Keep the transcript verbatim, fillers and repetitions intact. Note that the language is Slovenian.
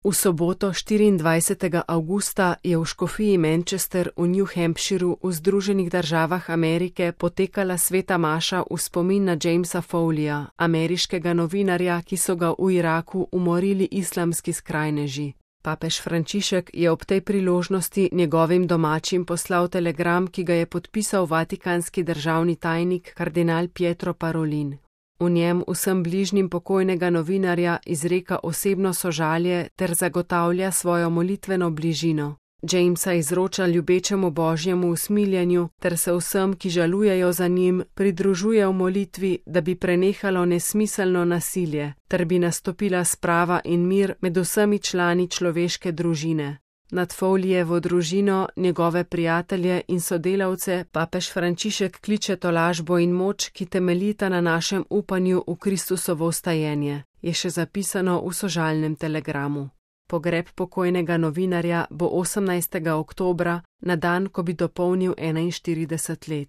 V soboto štiriindvajsetega avgusta je v škofiji Manchester v New Hampshireu v Združenih državah Amerike potekala sveta maša v spomin na Jamesa Foleyja, ameriškega novinarja, ki so ga v Iraku umorili islamski skrajneži. Papež Frančišek je ob tej priložnosti njegovim domačim poslal telegram, ki ga je podpisal vatikanski državni tajnik kardinal Pietro Parolin. V njem vsem bližnjim pokojnega novinarja izreka osebno sožalje ter zagotavlja svojo molitveno bližino. Jamesa izroča ljubečemu božjemu usmiljenju ter se vsem, ki žalujejo za njim, pridružuje v molitvi, da bi prenehalo nesmiselno nasilje ter bi nastopila sprava in mir med vsemi člani človeške družine. Nad Foleyjevo družino, njegove prijatelje in sodelavce papež Frančišek kliče tolažbo in moč, ki temeljita na našem upanju v Kristusovo vstajenje, je še zapisano v sožalnem telegramu. Pogreb pokojnega novinarja bo osemnajstega oktobra, na dan, ko bi dopolnil enainštirideset let.